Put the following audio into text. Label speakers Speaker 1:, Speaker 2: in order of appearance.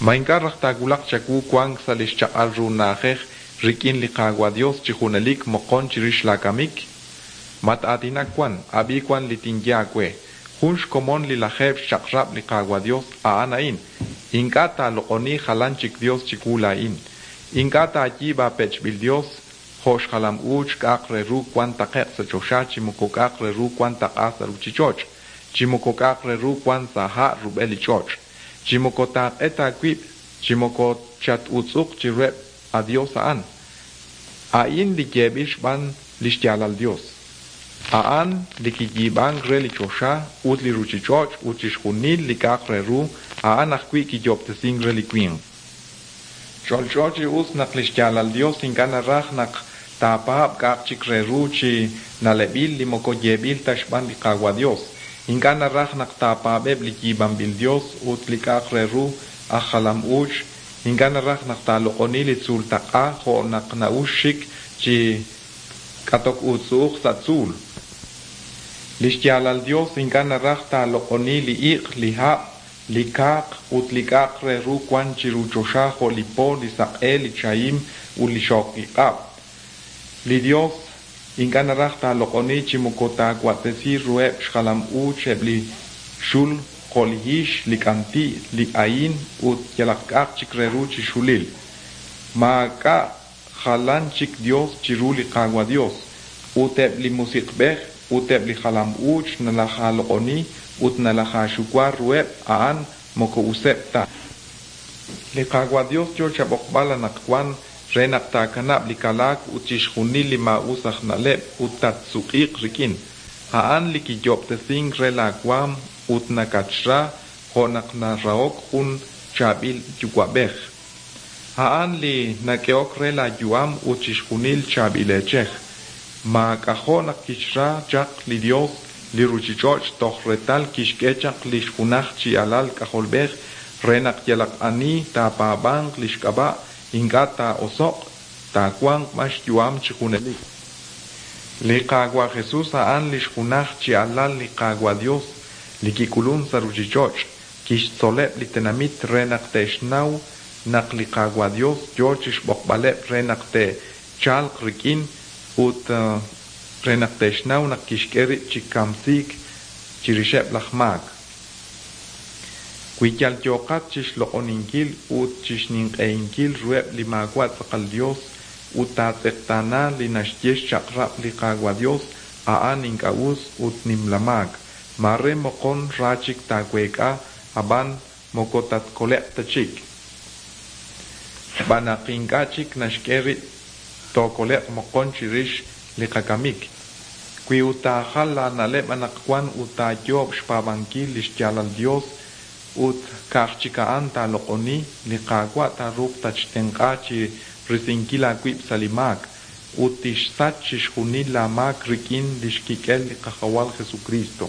Speaker 1: Ma ink'a' raj taawulaq chawu wank sa' li xchaq'al ru na'ajej rik'in li Qaawa' Yos chi junelik moqon chirix laakamik? Mat-aatinak wan, ab'i wan li tinye aawe. Jun xkomon li lajeeb' xchaq'rab' li Qaawa' Yos a'an a'in, Ink'a' taaloq'oni jalan chik yos chiwu laa'in. Ink'a' taayiib' aapech'b'il yos, jo' xjalam-uuch k'a'aq re ru wan taqe'q sa' choxa chi moko k'a'aq re ru wan taq'a sa' ruchich'och', chi moko k'a'aq re ru wan sa' ha' rub'el li ch'och'. Chi moko taaq'et aawib' chi moko chat-utz'uq chiruheb' a dios a'an. A'in li yeeb'il xb'aan li xyaalal Yos. A'an li kiyiib'ank re li choxa ut li ruuchich'och' ut chixjunil li k'a'aq re ru, a'an ajwi' kiyoob'tesink re li winq. Ch'olch'o chi us naq li xyaalal Yos ink'a' naraj naq taapaab' k'a'aq chik re ru chi na'leb'il li moko yeeb'il ta xb'aan li Qaawa' Yos. Ink'a' naraj naq taapaab'eb' li yiib'anb'il yos ut li k'a'aq re ru aj jalam-uuch. Ink'a' naraj naq taaloq'oni li tzuultaq'a jo' naq na'ux xik chi k'atok uutz'u'uj sa' tzuul. Li xyaalal Yos ink'a' naraj taaloq'oni li iq', li hab', li kaaq ut li k'a'aq re ru wan chiru choxa jo' li po, li saq'e, li chahim ut li xooqiq'ab'. Li Yos ink'a' naraj taaloq'oni chi moko taawa'tesi ruheb' xjalam-uuch eb' li xul jo' li hix, li k'anti', li ahin ut yalaq k'a'aq chik re ru chi xulil. Maak'a' jalan chik Yos chiru li Qaawa' Yos, ut eb' li musiq'b'ej ut eb' li jalam-uuch nalajaaloq'oni ut nalajaaxuwa ruheb' a'an moko useb' ta. Li Qaawa' Yos yo chab'oqb'al anaqwan re naq taakanab' li kalaak ut chixjunil li maa'us aj na'leb' ut tatsuq'iiq rik'in. A'an li kiyoob'tesink re laawaanm ut nakatxra jo' naq narahok jun chaab'il yuwa'b'ej. A'an li nak'ehok re laayu'am ut chixjunil chaab'il eechej. Maak'ajo' naq kixra chaq li Yos li ruuchich'och' toj reetal kixk'e chaq li xjunaj chi Alal K'ajolb'ej re naq yalaq ani taapaab'anq li xk'ab'a' ink'a' taa'oso'q, taawanq b'an xyu'am chi junelik. Li Qaawa' Jesus a'an li xjunaj chi Alal li Qaawa' Yos li kik'ulunk sa' ruuchich'och', kixtzoleb' li tenamit re naq te'xnaw naq li Qaawa' Yos yo chi xb'oqb'aleb' re naq te'chalq rik'in ut re naq te'xnaw naq kixk'e rib' chi kamsiik chirixeb' laj maak. Wi yal yooqat chi xloq'oninkil ut chi xninq'ehinkil ruheb' li maawa' tz'aqal yos ut taatz'eqtaana li naxye xchaq'rab' li Qaawa' Yos, a'an ink'a' us ut nimla maak. Maare moqon ra chik taaweek'a, ab'an moko tatkole'q ta chik. Xb'aan naq ink'a' chik naxk'e rib' tookole'q moqon chirix li qakamik. Wi ut taajal laana'leb' anaqwan ut taayoob' xpaab'ankil li xyaalal Yos ut ka'aj chik a'an taaloq'oni, li Qaawa' taaruuq tatxtenq'a chi risinkil aawib' sa' li maak, ut tixsach chixjunil laamaak rik'in li xkik'el li Qajawal Jesukriist.